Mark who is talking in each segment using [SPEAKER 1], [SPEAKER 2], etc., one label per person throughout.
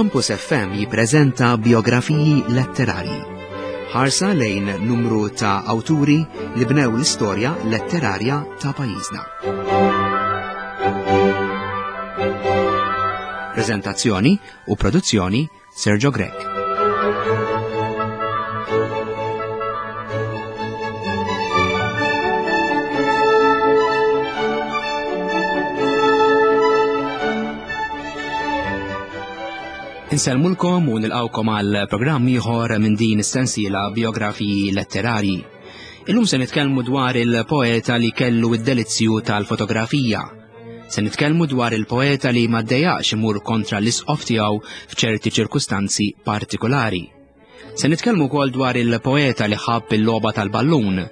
[SPEAKER 1] Campus FM jippreżenta biografiji letterarji. Ħarsa lejn numru ta' awturi li bnew l-istorja letterarja ta' pajjiżna. Prezentazzjoni u produzzjoni Sergio Grech. Insellmulkom u nilqawkom għal programm ieħor minn din is-sensiela biografiji letterarji. Illum se nitkellmu dwar il-poeta li kellu id-delizzju tal-fotografija. Se nitkellmu dwar il-poeta li ma ddejjaqx imur kontra l-isqof tiegħu f'ċerti ċirkustanzi partikolari. Se nitkellmu wkoll dwar il-poeta li ħabb il-logħba tal-ballun,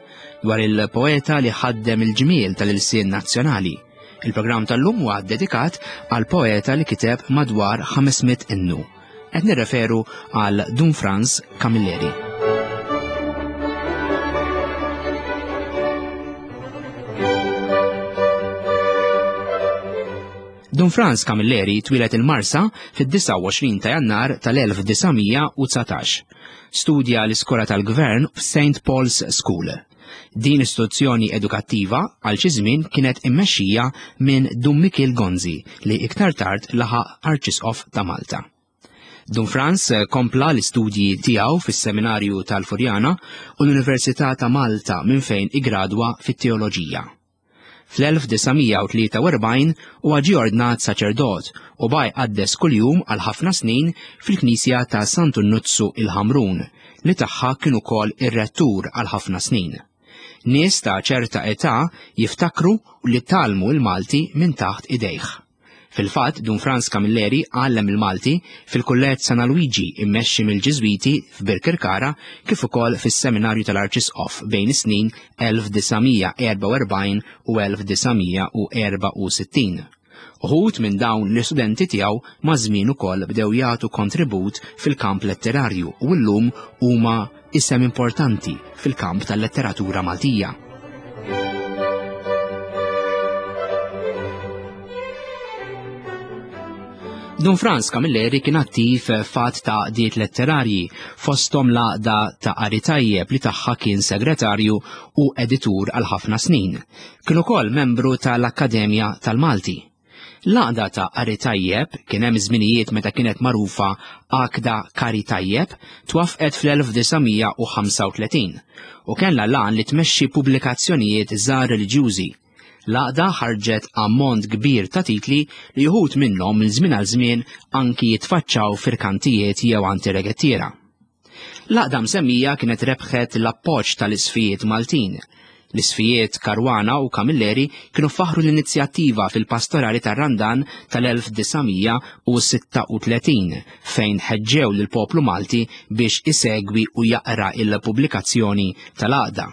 [SPEAKER 1] dwar il-poeta li ħaddem il-ġmiel tal-ilsien nazzjonali. Il-programm tal-lum huwa dedikat għal poeta li kiteb madwar 500 innu. Qed nirreferu għal Dun Franz Camilleri. Dun Franz Camilleri twieled il-Marsa fid-29 ta' Jannar tal-1919. Studja l-iskola tal-Gvern f'St. Paul's School. Din istituzzjoni edukattiva għal xi żmien kienet immexxija minn Dun Mikiel Gonzi li iktar tard laħaq Arċisqof ta' Malta. Dun Franz kompla l-istudji tiegħu fis-Seminarju tal-Furjana u l-Università ta' Malta minn fejn igradwa fit-teoloġija. Fl-1943 huwa ġie ordnat saċerdot u baqa' jqaddes kuljum għal ħafna snin fil-knisja ta' Santu Nuzzu il-Ħamrun li tagħha kien ukoll ir-rettur għal ħafna snin. Nies ta' ċerta età jiftakru li tgħallmu l-Malti minn taħt idejh. Fil-fatt, Dun Frans Camilleri għallem il-Malti fil-Kulleġġ San Alwiġi immexxi mill-Ġiżwiti f'Birkirkara kif ukoll fis-Seminarju tal-Arċisqof bejn is-snin 1944 u 1964. Uħud minn dawn l-istudenti tiegħu maż-żmien ukoll bdew jagħtu kontribut fil-kamp letterarju u llum huma isem importanti fil-kamp tal-letteratura Maltija. Dun Franz Camilleri kien attiv fat ta' għaqdiet letterarji fosthom l-għaqda ta' Qari Tajjeb li tagħha kien segretarju u editur għal ħafna snin. Kien ukoll membru tal-Akkademja tal-Malti. L-għaqda ta' Qari Tajjeb, kien hemm żminijiet meta kienet magħrufa Għaqda Kari Tajjeb, twaffqet fl-1935 u kellha l-għan li tmexxi pubblikazzjonijiet żgħar reliġjużi. L-għaqda ħarġet ammont kbir ta' titli li uħud minnhom minn żmien għal żmien anki jitfaċċaw f'irkantijiet jew għand ir-regettiera. L-għaqda msemmija kienet rebħet l-appoġġ tal-isqfijiet Maltin. L-isqfijiet Caruana u Camilleri kienu faħħru l-inizjattiva fil-pastorali tar-Randan tal-1936 fejn ħeġġew lill-poplu Malti biex isegwi u jaqra il-pubblikazzjoni tal-għaqda.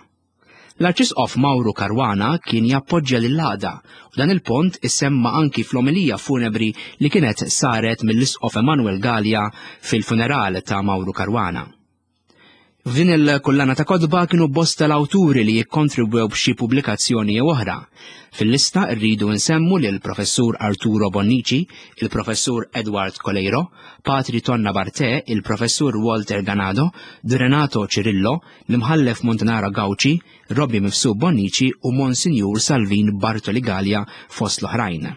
[SPEAKER 1] L-Arċisqof Mauro Caruana kien jappoġġja lill-għaqda u dan il-pont issemma anki fl-omelija funebri li kienet saret mill-Isqof Emanuel Galea fil-funeral ta' Mauro Caruana. F'din il-kullana ta' kotba kienu bosta l-awturi li jikkontribwew b'xi pubblikazzjoni jew oħra. Fil-lista rridu nsemmu lil Professur Arturo Bonnici, il-Professur Edward Coleiro, Patri Tonna Bartè, il-Professur Walter Ganado, Renato Cirillo, l-Imħallef Montanara Gauci, Robbie Mifsud Bonnici u Monsinjur Salvin Bartoli Galea fost l-oħrajn.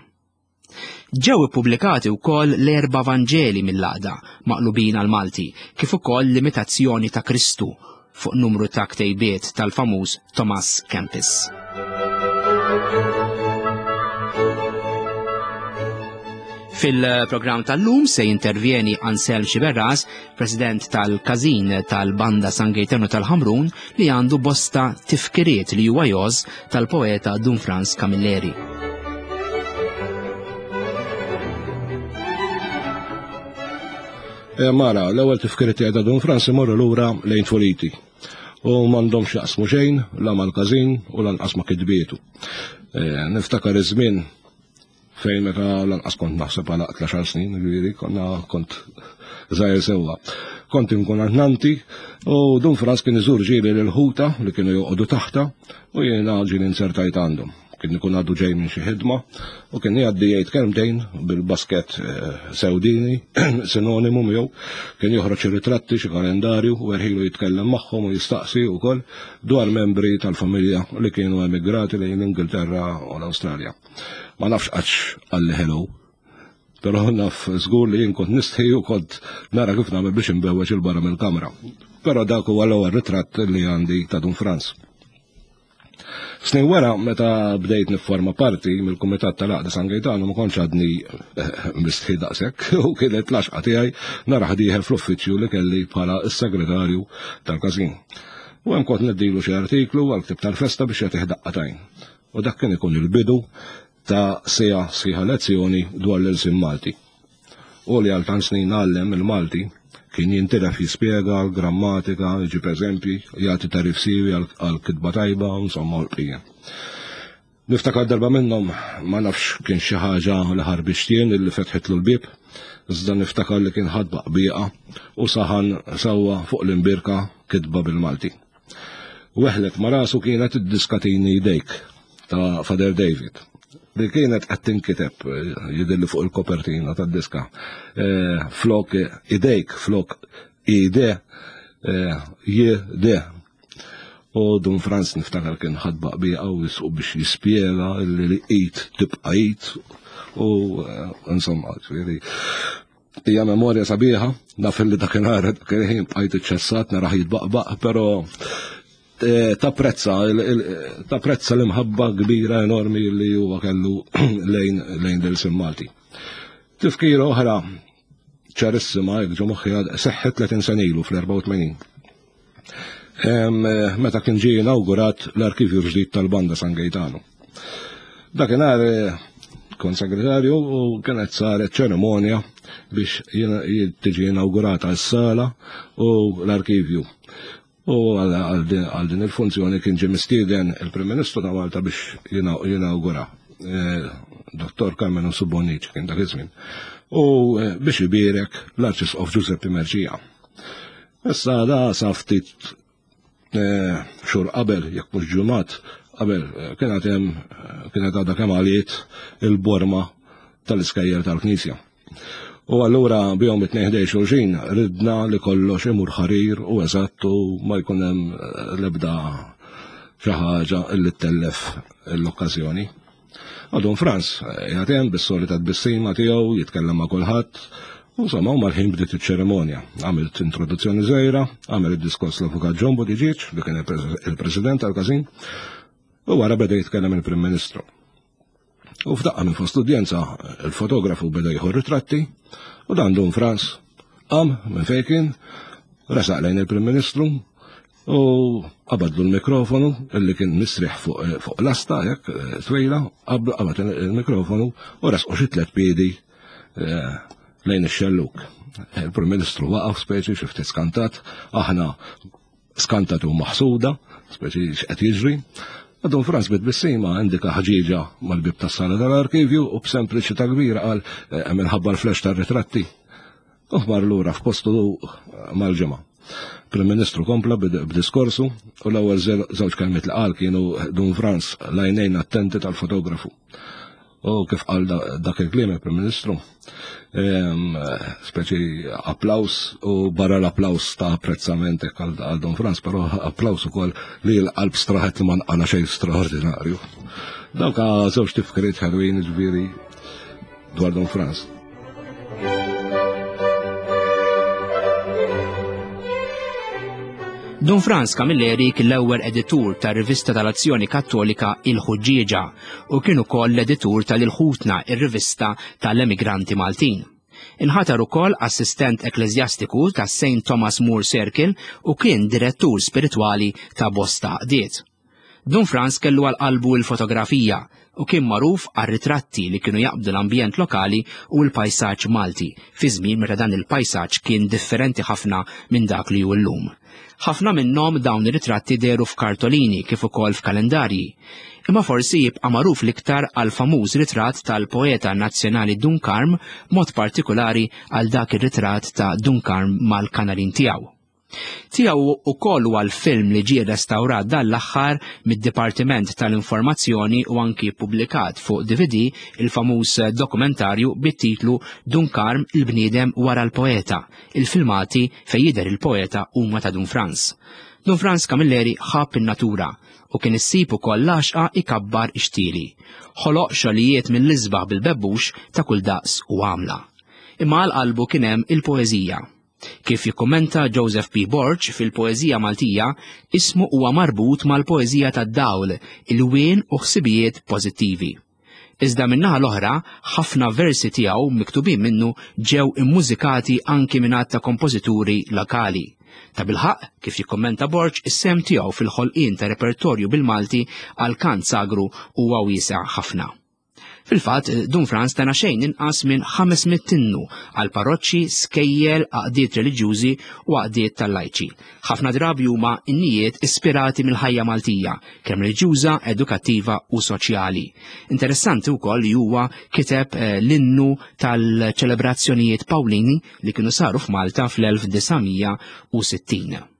[SPEAKER 1] Ġew ippubblikati wkoll l-erba' Vanġeli mill-għaqda maqlubin għall-Malti, kif ukoll l-imitazzjoni ta' Kristu fuq numru ta' ktejbiet tal-famuż Thomas Kempis. Fil-programm tal-lum se jintervjeni Anselm Sciberras, President tal-Każin tal-Banda San Gejtanu tal-Ħamrun li għandu bosta tifkiriet li huwa jgħożż tal-poeta Dun Frans Camilleri.
[SPEAKER 2] Eh, mara, l-ewwel tifkiriet ta' Dun Frans imorru lura lejn tfuliti u m'għandhomx jaqsmu xejn la mal-każin u lanqas ma' kitbietu. Eh, niftakar iż-żmien fejn meta lanqas kont naħseb għal aqtla xar snin, ġifieri konna kont żgħir sewwa. Kont inkun għand u Dun Frans kien iżur ġieli lil ħuta li kienu joqogħdu taħta u jiena ġieli nsertajt għandhom. Kien ikun għadu ġej minn xi ħidma u kien jgħaddi jgħid kelmtejn bil-basket sewdini, sinonimu miegħu, kien joħroġ xi ritratti, xi kalendarju u erħilu jitkellem magħhom u jistaqsi wkoll dwar membri tal-familja li kienu emigrati lejn l-Ingilterra u l-Awstralja. Ma nafx qattx qalli hello, però naf żgur li jien kont nistħi u kont nara kif nagħmel biex inbewweġ 'il barra mill-kamra. Però dak huwa l-ewwel ritratt li għandi ta' Dun Franz. Snin wara, meta bdejt nifforma parti mill-Kumitat tal-Għaqda San Gejtanu ma kontx għadni eh, mistħi daqshekk u kienet l-għaxqa tiegħi narah dieħel fl-uffiċċju li kelli bħala s-segretarju tal-każin. U hemm kont neddilu xi artiklu għal ktib tal-festa biex jagħtih daqqatajn. U dak kien ikun il-bidu ta' sija sħiħa lezzjoni dwar l-ilsien Malti. U li għal tant snin għallem il-Malti kien jintilef jispjega l-grammatika, jġib eżempji, jagħti tagħrif siewi għal kitba tajba, insomma u l-bqija. Niftakar darba minnhom ma nafx kien xi ħaġa li ħarbixt jien illi fetħitlu l-bieb, iżda niftakar li kien ħadd baqbieqa u saħan sewwa fuq l-imbierka kitba bil-Malti. Weħlet ma' rasu kienet id-diska Tini Jdejk ta' Father David li kienet qed tinkiteb jidhirli fuq il-kopertina tad-diska eh, flok idejk flok ide eh, j d. U Dun Franz niftakar kien ħadbaq bija u biex jispjega li id tibqa' id u eh, insomma, ġifieri Hija memorja sabiħa, naf li dakinhar dak il-ħin bqajt iċċessat narah jitbaqbaq, però eh, tapprezza tapprezza l-imħabba kbira enormi li huwa kellu lejn lejn l-ilsien Malti. Tifkira oħra ċarissima jekk ġo moħħi seħħet 30 sena ilu fl-84. Eh, meta kien ġie inawgurat l-arkivju ġdid tal-Banda San Gaetano. Dakinhar eh, kont segretarju u kienet saret ċerimonja biex tiġi inaugurata s-sala u l-arkivju. U għal din il-funzjoni kien ġie mistieden il-Prim Ministru ta' Malta biex jinaugura. Eh, Dottor Carmenu Subonic kien dak iż-żmien. U biex ibierek l-Arċisqof Giuseppe Merċija. Issa da sa ftit eh, xhur qabel, jekk mhux ġimgħat qabel, eh, kienet hemm eh, kienet għadha kemm għaliet il-borma tal-iskejjel tal-Knisja. U allura bihom it-tnejn ħdej xulxin ridna li kollox imur ħarir u eżatt u ma jkun hemm l-ebda xi ħaġa li ttellef l-okkażjoni. Għadhom Franz, qiegħed hemm bis-solita tbissima tiegħu, jitkellem ma' kulħadd. Insomma, u mal-ħin bdiet iċ-ċerimonja. Għamilt introduzzjoni żgħira, għamel id-diskors l-Avukat John Buttigieg, li kien il-President tal-każin, u wara beda jitkellem il-Prim Ministru. U f'daqqa minn fost l-udjenza, il-fotografu beda jieħu ritratti, u dan Dun Franz qam minn fejn kien, resaq lejn il-Prim Ministru, U qabadlu l-mikrofonu illi kien mistrieħ fuq eh, fuq lasta hekk eh, twila, qabad il-mikrofonu u resqu xi tliet piedi eh, lejn ix-xelluk. Il-Prim Ministru waqaf speċi xi ftit skantat, aħna skantat u maħsuda, speċi x'qed jiġri. Dun Franz bit-tbissima indika ħġieġa mal-bib tas-sala tal-arkivju u b'sempliċità kbira qal minħabba l-flash tar-ritratti. U mar lura f'postu mal-ġimgħa. Prim Ministru kompla b'diskorsu u l-ewwel żewġ kelmiet li qal kienu Dun Franz l-għajnejn attenti tal-fotografu. U kif qal dak il-kliem il-Prim Ministru, speċi applaus u barra l-applaus ta' apprezzament għal Dun Franz, però applaus ukoll li l-qalb straħet li ma nqala xejn straordinarju. Dawk żewġ tifkiriet ħelwin ġifieri dwar Don Franz.
[SPEAKER 1] Dun Franz Camilleri kien l-ewwel editur tar-rivista tal-Azzjoni Kattolika Il-Ħuġġieġa u kien ukoll l-editur tal-Il-Ħutna, ir-rivista tal-emigranti Maltin. Inħatar ukoll assistent ekkleżjastiku tas St. Thomas More Circle u kien direttur spiritwali ta' bosta għaqdiet. Dun Frans kellu għal qalbu l-fotografija u kien magħruf għar-ritratti li kienu jaqbdu l-ambjent lokali u l-pajsaġġ Malti fi żmien meta dan il-pajsaġġ kien differenti ħafna minn dak li hu llum. Ħafna minnhom dawn ir-ritratti dehru f'kartolini kif ukoll f'kalendarji. Imma forsi jibqa' magħruf l-iktar għall-famuż ritratt tal-poeta nazzjonali Dun Karm, b'mod partikulari għal dak ir-ritratt ta' Dun Karm mal-kanarin tiegħu. Tiegħu ukoll huwa l-film li ġie restawrat dan l-aħħar mid-Dipartiment tal-Informazzjoni u anki ppubblikat fuq DVD il-famuż dokumentarju bit-titlu Dun Karm il-bniedem wara l-poeta. Il-filmati fejn jidher il-poeta huma ta' Dun Frans. Dun Frans Camilleri ħabb in-natura u kien issib ukoll l-għaxqa ikabbar ix-xtieli. Ħoloq xogħlijiet mill-isbaħ bil-bebbux ta' kull daqs u għamla. Imma għal qalbu kien hemm il-poeżija. Kif jikkummenta Joseph P. Borg fil-poeżija Maltija, ismu huwa marbut mal-poeżija tad-dawl, ilwien u ħsibijiet pożittivi. Iżda min-naħa l-oħra, ħafna versi tiegħu miktubin minnu ġew immużikati anki minn għadd ta' kompożituri lokali. Tabilħaqq, kif jikkummenta Borg, is-sehem tiegħu fil-ħolqien ta' repertorju bil-Malti għall-kant sagru huwa wiesa' ħafna. Fil-fatt, Dun Frans tana xejn inqas minn 500 innu għal parroċċi, skejjel, għaqdiet reliġjużi u għaqdiet tal-lajċi. Ħafna drabi huma innijiet ispirati mill-ħajja Maltija, kemm reliġjuża, edukattiva u soċjali. Interessanti wkoll li huwa kiteb eh, l-innu tal-ċelebrazzjonijiet Pawlini li kienu saru f'Malta fl-1960.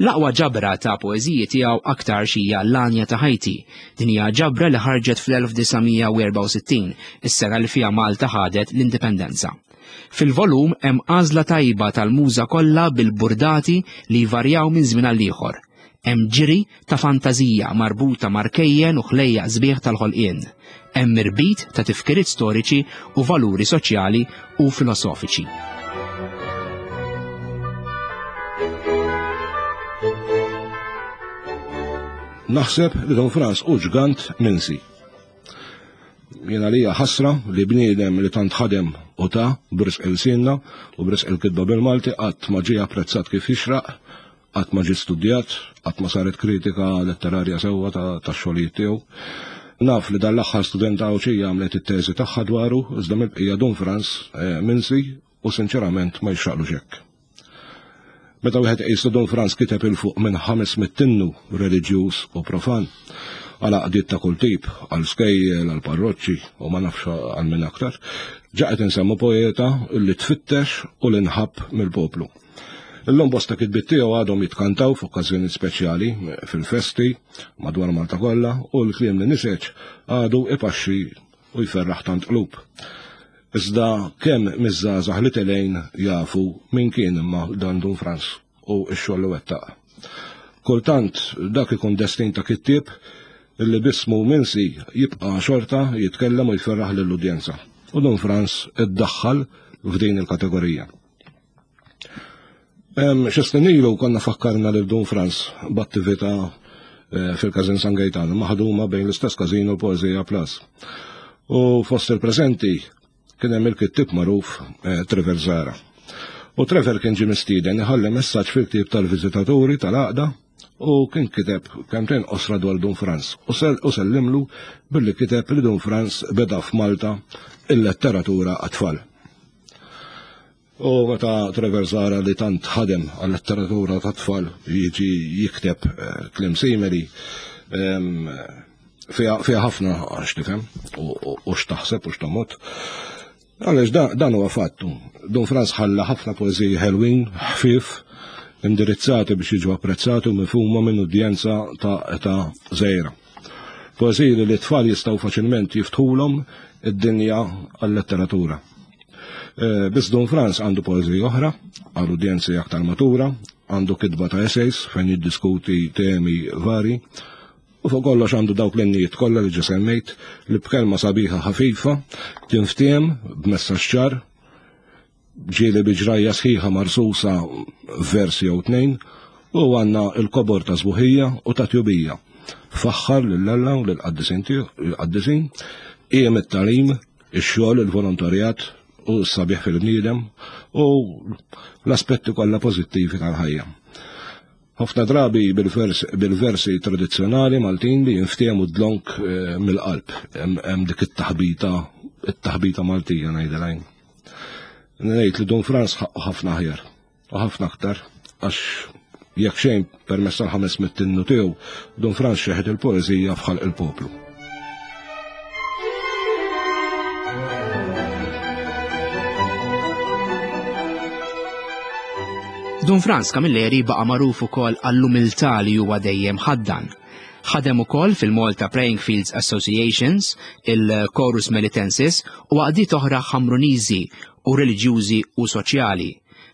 [SPEAKER 1] L-aqwa ġabra ta' poeżiji tiegħu aktarx hija L-Għanja ta' Ħajti. Din hija ġabra li ħarġet fl-1964, is-sena li fiha Malta ħadet l-indipendenza. Fil-volum hemm għażla tajba tal-muża kollha bil-burdati li jvarjaw minn żmien għal ieħor. Hemm ġiri ta' fantażija marbuta ma' rkejjen u ħlejjaq sbieħ tal-ħolqien. Hemm irbit ta' tifkiriet storiċi u valuri soċjali u filosofiċi.
[SPEAKER 2] Naħseb li Don Frans hu ġgant minsi. Jien għalija ħasra li bniedem li tant ħadem u ta' b'risq ilsienna u b'risq il-kitba bil-Malti qatt ma ġie apprezzat kif jixraq Qatt ma ġie studjat, qatt ma saret kritika letterarja sewwa tax-xogħlijiet tiegħu. Naf li dan l-aħħar studenta Għawdxija għamlet it-teżi tagħha dwaru, iżda mill-bqija Dun Frans eh, minsi u sinċerament ma jixraqlux hekk. Meta wieħed iqis li Dun Frans kiteb il fuq minn 500 innu reliġjuż u profan, għal għaqdiet ta' kull tip, għal skejjel, għal parroċċi u ma nafx għal min aktar, ġa qed insemmu poeta li tfittex u li nħabb mill-poplu. Illum bosta kitbiet tiegħu għadhom jitkantaw f'okkażjonijiet speċjali, fil-festi, madwar Malta kollha, u l-kliem li niseġ għadu ipaxxi u jferraħ tant qlub. Iżda kemm miż-żgħażagħ li telgħin jafu min kien imma dan Dun Frans u x-xogħol li wettaq. Kultant dak ikun destin ta' kittieb illi b'ismu minsi jibqa' xorta jitkellem u jferraħ lill-udjenza. U Dun Frans iddaħħal f'din il-kategorija. Xi snin ilu konna fakkarna lil Dun Frans b'attività eh, fil-Każin San Gejtan, maħduma bejn l-istess każin u l-Poeżija Plus. U fost il-preżenti kien hemm il-kittib magħruf eh, Trevor Zara. U Trevor kien ġie mistieden iħalli messaġġ fil-ktieb tal-viżitaturi tal-għaqda u kien kiteb kemtejn qosra dwar Dun Frans u sellimlu billi kiteb li Dun Frans beda f'Malta il-letteratura għat-tfal. U meta Trevor Zara li tant ħadem għal-letteratura ta' tfal jiġi jikteb eh, kliem simili, ehm, fiha ħafna għax tifhem u x'taħseb u x'tomot. Għaliex dan huwa fattu. Dun Frans ħalla ħafna poeżiji ħelwin, ħfief, indirizzati biex jiġu apprezzati u mifhuma minn udjenza ta' età żgħira. Poeżiji li l-tfal jistgħu faċilment jiftħulhom id-dinja għal-letteratura. Eh, biss Don Frans għandu poeżija oħra għal udjenzi aktar matura, għandu kitba ta' essays fejn jiddiskuti temi vari, u fuq kollox għandu dawk l-innijiet kollha li ġa semmejt li b'kelma sabiħa ħafifa tinftiem b'messaġġ ċar ġieli bi ġrajja sħiħa marsusa f'vers jew tnejn, u għandna l-kobor ta' sbuħija u ta' tjubija. Faħħar lil Alla u lill-qaddisin il-qaddisin, qiem it-tagħlim, ix-xogħol, il-volontarjat u s-sabiħ fil-bniedem u l-aspetti kollha pożittivi tal-ħajja. Ħafna drabi bil-versi tradizzjonali Maltin li jinftehmu dlonk eh, mill-qalb. Hemm dik it-taħbita, it-taħbita Maltija ngħidilha jien. Ngħid li Dun Frans ħaqqu ħafna aħjar u ħafna aktar għax jekk xejn permezz tal-500 innu tiegħu Dun Frans xeħet il-poeżija f'ħalq il-poplu.
[SPEAKER 1] Dun Frans Camilleri baqa' magħruf ukoll għall-umiltà li huwa dejjem ħaddan. Ħadem ukoll fil-Malta Praying Fields Associations, il-Chorus Melitensis u għaqdiet oħra Ħamruniżi u reliġjużi u soċjali.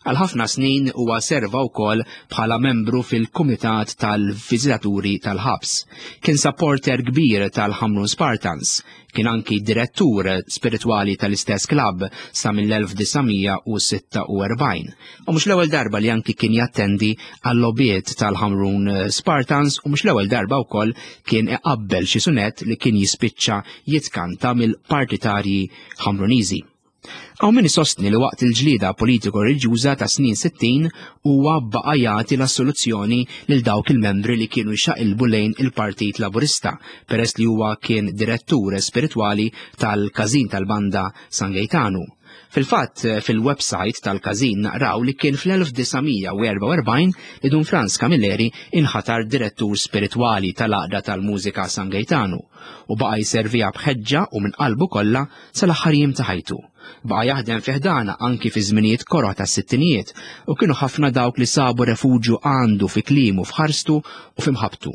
[SPEAKER 1] Għal ħafna snin huwa serva wkoll bħala membru fil-Kumitat tal-Viżitaturi tal-Ħabs. Kien supporter kbir tal-Ħamrun Spartans. Kien anki direttur spiritwali tal-istess klabb sa mill-1946. U mhux l-ewwel darba li anki kien jattendi għall-logħbiet tal-Ħamrun Spartans u mhux l-ewwel darba wkoll kien iqabbel xi sunett li kien jispiċċa jitkanta mill-partitarji Ħamruniżi. Hawn min isostni li waqt il-ġlieda politiko-reliġjuża ta' snin 60 huwa baqa' jagħti l-assoluzzjoni lil dawk il-membri li kienu jxaqilbu lejn il-Partit Laburista peress li huwa kien direttur spiritwali tal-Każin tal-Banda San Gejtanu. Fil-fatt, fil-website tal-każin naqraw li kien fl-1944 li Dun Frans Camilleri inħatar direttur spiritwali tal-Għaqda tal-Mużika San Gejtanu u baqa' jserviha b'ħeġġa u minn qalbu kollha sal-aħħar jiem ta' ħajtu. Baqa' jaħdem fi ħdana anki fi żminijiet koroh tas-sittinijiet u kienu ħafna dawk li sabu refuġju għandu fi kliemu f'ħarstu u fi mħabbtu.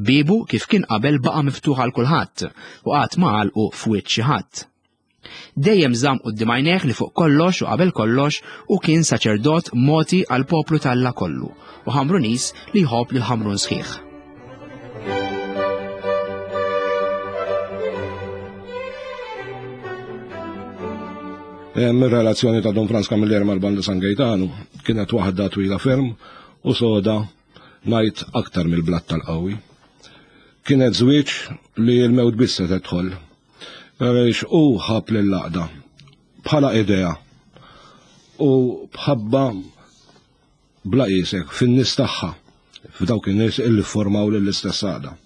[SPEAKER 1] Biebu kif kien qabel baqa' miftuħ għal kulħadd u qatt ma għalqu f'wiċċ xi ħadd. Dejjem żamm quddiem għajnejh li fuq kollox u qabel kollox hu kien saċerdot mogħti għall-poplu t'Alla kollu u Ħamruniż li jħobb lil Ħamrun sħiħ.
[SPEAKER 2] Ir-relazzjoni ta' Don Frans Camilleri mal-Banda San Gaetano kienet waħda twila ferm u soda ngħid aktar mill-blat tal-qawwi. Kienet żwieġ li l-mewt biss se tedħol. Għaliex hu ħab lill-għaqda bħala idea u bħabba bla qisek fin-nies tagħha, f'dawk in-nies illi formaw lill-istess għaqda.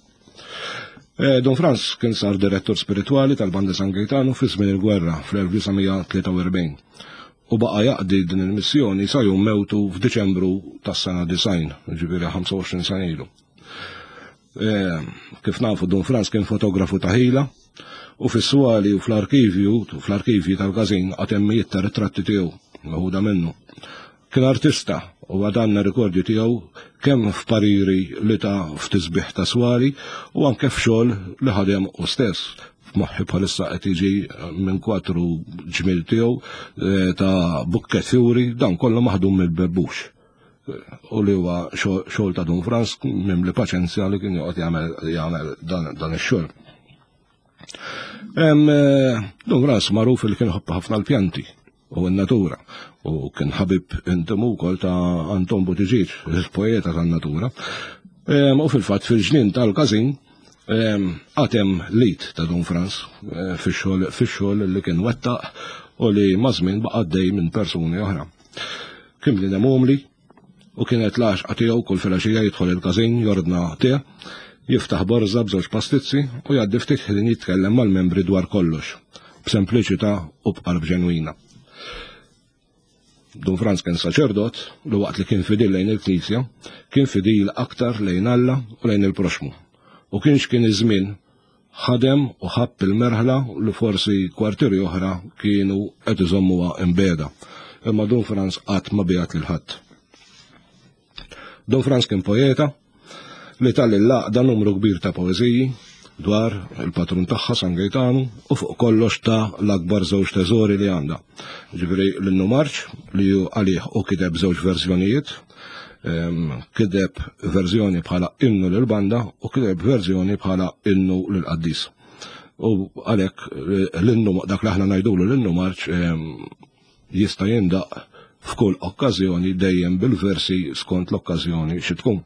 [SPEAKER 2] Eh, Don Franz kien sar direttur spiritwali tal-Banda San Gaetano fi żmien il-gwerra fl-1943 u baqa' jaqdi din il-missjoni sa jum mewtu f'Diċembru tas-sena 90, ġifieri 25 sena ilu. Eh, kif nafu Don Franz kien fotografu ta' ħila u fis-swali u fl-arkivju, fl-arkivji tal-każin għatemmijiet ta' ritratti tiegħu meħuda minnu. Kien artista u għad għandna rikordju tiegħu kemm f'pariri li ta f'tisbiħ ta' swali u anke f'xogħol li ħadem hu stess. F'moħħi bħalissa qed jiġi minn kwatru ġmiel tiegħu eh, ta' bukket fjuri dan kollu maħdum mill-bebbux u li huwa xogħol ta' Dun Frans mimli paċenzja li kien joqgħod jagħmel dan ix-xogħol. Eh, Dun Frans magħruf li kien ħobb ħafna l-pjanti u n-natura u kien ħabib intimu wkoll ta' Anton Buttigieg, il-poeta tan-natura. U fil-fatt fil-ġnien tal-każin għatem lit ta' Dun Frans eh, fix-xogħol li kien wettaq u li mażmin baqa' dej minn persuni oħra. Kien bniedem umli u kienet l-għaxqa tiegħu kull filgħaxija jidħol il-każin jordna te, jiftaħ borża b'żewġ pastizzi u jgħaddi ftit ħin jitkellem mal-membri dwar kollox, b'sempliċità u b'qalb ġenwina. Dun Franz kien saċerdot li waqt li kien fidil lejn il-Knisja, kien fidil aktar lejn Alla u lejn il-proxmu. U kienx kien iż-żmien ħadem u ħabb il-merħla li forsi kwartieri oħra kienu qed iżommuha imbegħda. Imma Dun Franz qatt ma biegħet lil ħadd. Dun Franz kien poeta li ta lill-għaqda numru kbir ta' poeżiji dwar il-patrun tagħha San Gejtanu u fuq kollox ta l-akbar żewġ teżori li għandha. Ġifieri l-innu marċ li hu għalih u kiteb żewġ verżjonijiet, kiteb verżjoni bħala innu lil banda u kiteb verżjoni bħala innu lil qaddis. U għalhekk eh, l-innu dak li aħna ngħidulu l-innu marċ jista' jindaq f'kull okkażjoni dejjem bil-versi skont l-okkażjoni xi tkun.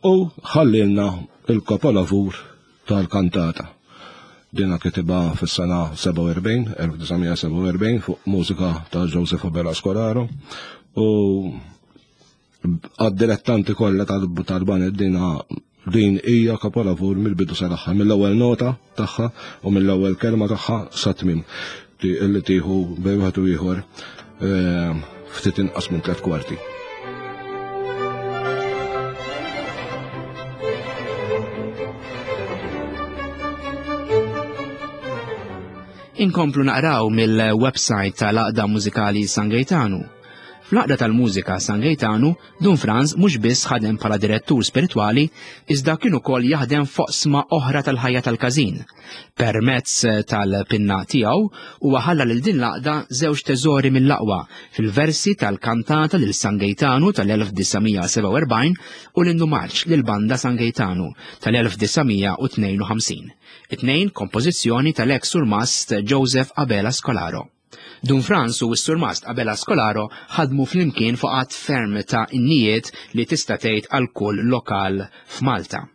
[SPEAKER 2] U ħallilna il-kapolavur tal-kantata. Dina kitibha fis-sena 47, 1947 fuq mużika ta' Joseph Abela Scolaro u għad-dilettanti kollha tal-baned dina din hija kapolavur mill-bidu sal-aħħar, mill-ewwel nota tagħha u mill-ewwel kelma tagħha sa tmiem li tieħu bejn wieħed u ieħor eh, ftit inqas minn tliet kwarti.
[SPEAKER 1] Inkomplu naqraw mill-website tal-Għaqda Mużikali San Gejtanu. Fl-Għaqda tal-Mużika San Gejtanu, Dun Franz mhux biss ħadem bħala direttur spiritwali, iżda kien ukoll jaħdem f'oqsma oħra tal-ħajja tal-każin. Permezz tal-pinna tiegħu huwa ħalla lil din l-għaqda żewġ teżori mill-aqwa fil-versi tal-kantata lil San Gejtanu tal-1947 u l-innu marċ lil Banda San Gejtanu tal-1952. It-tnejn kompożizzjoni tal-eks surmast Joseph Abela Scolaro. Dun Frans u s-Surmast Abela Scolaro ħadmu flimkien fuq għadd ferm ta' innijiet li tista' tgħid għal kull lokal f'Malta.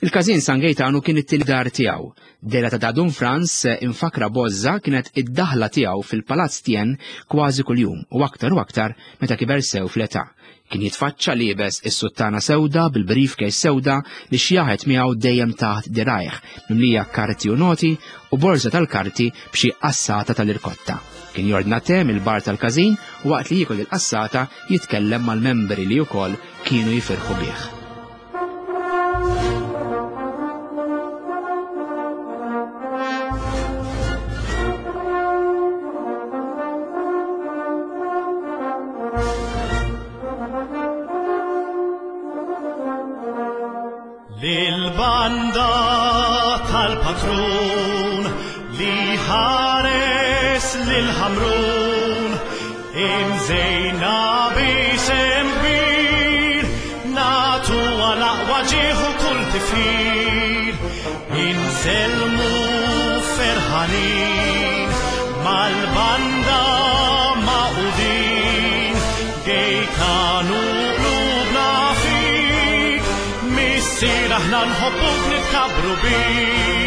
[SPEAKER 1] Il-każin San Gejtanu kien it-tieni dar tiegħu. Dehra ta' Dun Frans imfakkra b'għożża kienet id-daħla tiegħu fil-Palazz Tien kważi kuljum u aktar u aktar meta kiber sew fl-età. Kien jitfaċċa liebes is-suttana sewda bil-briefcase sewda li xjaħet miegħu dejjem taħt dirajh, mimlija karti u noti u borża tal-karti b'xi qassata tal-irkotta. Kien jordna te mill-bar tal-każin u waqt li jiekol il-qassata jitkellem mal-membri li wkoll kienu jifirħu bih.
[SPEAKER 3] Lil-banda tal-patrun li ħares lil Ħamrun imżejna b'isem kbir nagħtu għal aqwa ġieħ u kull tifħir insellmu ferħanin mal-banda magħqudin Gejtanu qlubna fik missier aħna nħobbuk nitkabbru bik.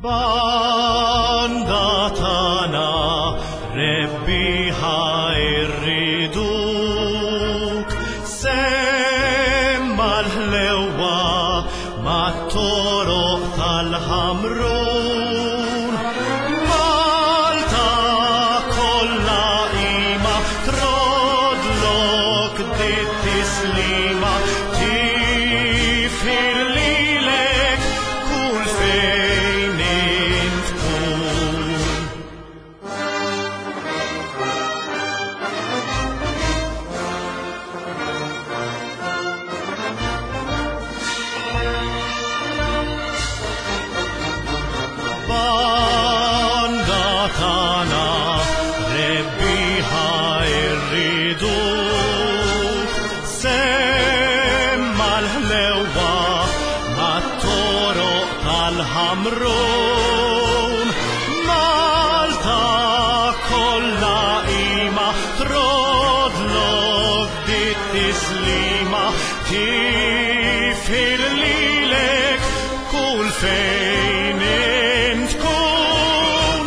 [SPEAKER 3] Banda tagħna rebbieħa rriduk semma l-ħlewwa mat-toroq tal-Ħamrun. Malta kollha qima trodlok dit-tislima tifħir lilek kull fejn int tkun. Banda tagħna rebbieħa rriduk semma l-ħlewwa mat-toroq tal-Ħamrun. Malta kollha qima trodlok dit-tislima tifħir lilek kull fejn int tkun.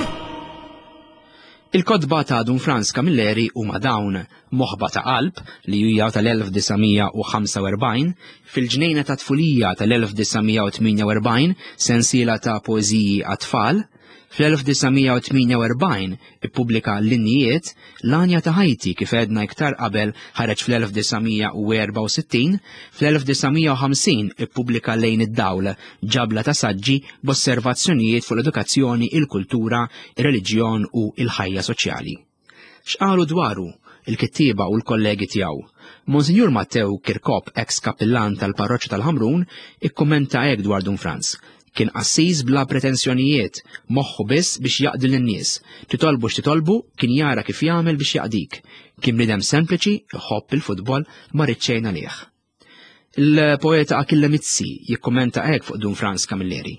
[SPEAKER 1] Il-kotba ta' Dun Frans Camilleri huma dawn, Moħba ta' Qalb, li hija tal-1945, Fil-Ġnejna ta' Tfulija tal-1948, sensiela ta' poeżiji għat-tfal, Fl-1948 ippubblika L-Innijiet, L-Għanja ta' Ħajti kif għedna iktar qabel ħareġ fl-1964, fl-1950 ippubblika Lejn id-Dawl, ġabla ta' saġġi b'osservazzjonijiet fuq l-edukazzjoni, il-kultura, ir-reliġjon u l-ħajja soċjali. X'qalu dwaru il-kittieba u l-kollegi tiegħu? Monsinjur Mattew Kirkop, eks kappillan tal-parroċċa tal-Ħamrun, ikkummenta hekk dwar Dun Frans, Kien qassis bla pretensjonijiet, moħħu biss biex jaqdi lin-nies. Titolbu x'titolbu, kien jara kif jagħmel biex jaqdik. Kien bniedem sempliċi, iħobb il-futbol, ma ried xejn għalih. Il-poeta Achille Mizzi jikkummenta hekk fuq Dun Frans Camilleri.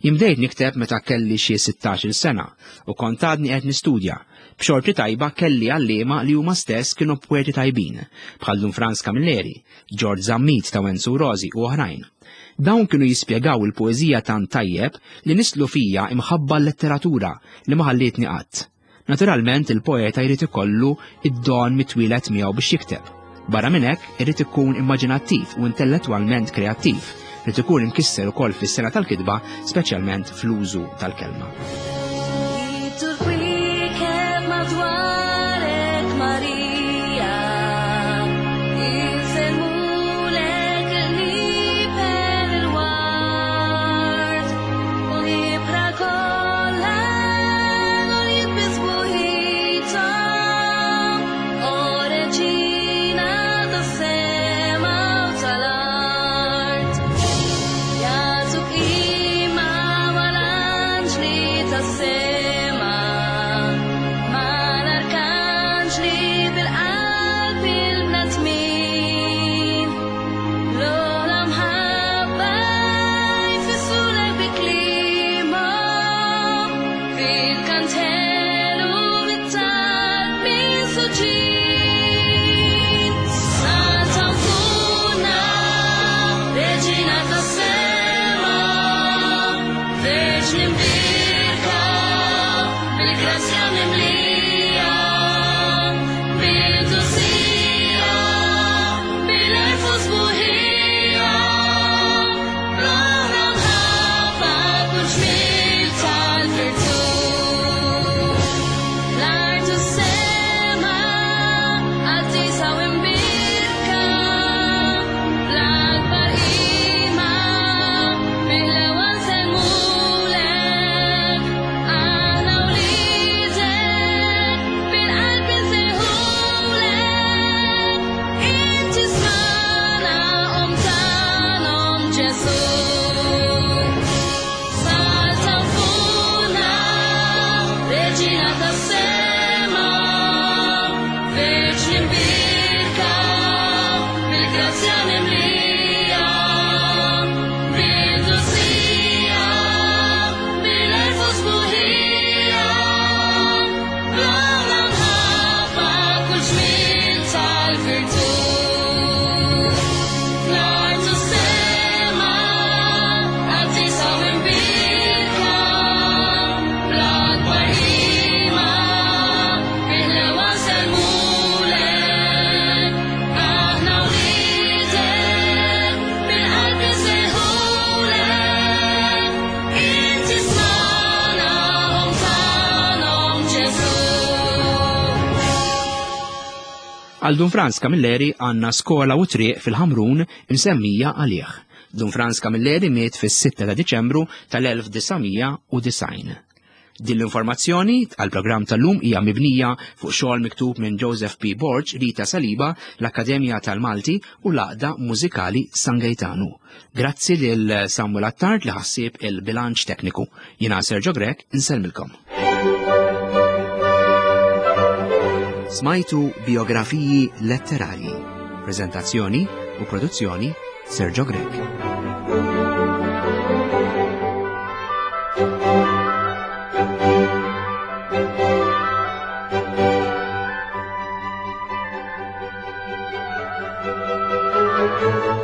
[SPEAKER 1] Jien bdejt nikteb meta kelli xi sittax-il sena u kont għadni qed nistudja. B'xorti tajba kelli għalliema li huma stess kienu poeti tajbin, bħal Dun Frans Camilleri, George Zammit ta' Wenzu Rosi u oħrajn. Dawn kienu jispjegaw il-poeżija tant tajjeb li nisslu fija imħabba għal-letteratura li ma ħallietni qatt. Naturalment il-poeta jrid ikollu id-don mitwieled miegħu biex jikteb. Barra minn hekk, irid ikun immaġinattiv u intellettwalment kreattiv, irid ikun imkisser ukoll fis-sengħa tal-kitba, speċjalment fl-użu tal-kelma.
[SPEAKER 4] Bil-kantelu bit-talb minsuġin. Santa Mfuna, Reġina tas-sema, Verġni mbierka, bil-grazzja mimlija, bil-qdusija, bil-għerf u sbuħija, bl-ogħla mħabba kull ġmiel tal-virtù. L-art u s-sema qaddisa u mbierka, bl-akbar qima bil-ewwel nsellmulek, aħna wliedek bil-qalb insejħulek, inti smana Omm tagħna Omm Ġesù. Santa Mfuna, Reġina tas-sema, Verġni mbierka, bil-grazzja mimlija, bil-qdusija, bil-għerf u sbuħija, bl-ogħla mħabba kull ġmiel tal-virtù. L-art u s-sema, qaddisa u mbierka, bl-akbar qima, bil-ewwel nsellmulek, aħna wliedek, bil-qalb insejħulek, inti smana Omm tagħna Omm Ġesù.
[SPEAKER 1] Għal Dun Frans Camilleri għandna skola u triq fil-Ħamrun imsemmija għalih. Dun Frans Camilleri miet fis-6 ta' Diċembru tal-1990. Din l-informazzjoni għal-programm tal-lum hija mibnija fuq xogħol miktub minn Joseph P. Borg, Rita Saliba, l-Akkademja tal-Malti u l-Għaqda Mużikali San Gaetanu. Grazzi lil Samuel Attard li ħassib il-bilanċ tekniku. Jiena Sergio Grech, insellmilkom. Smajtu biografiji letterarji. Prezentazzjoni u produzzjoni Sergio Grech.
[SPEAKER 4] Thank you.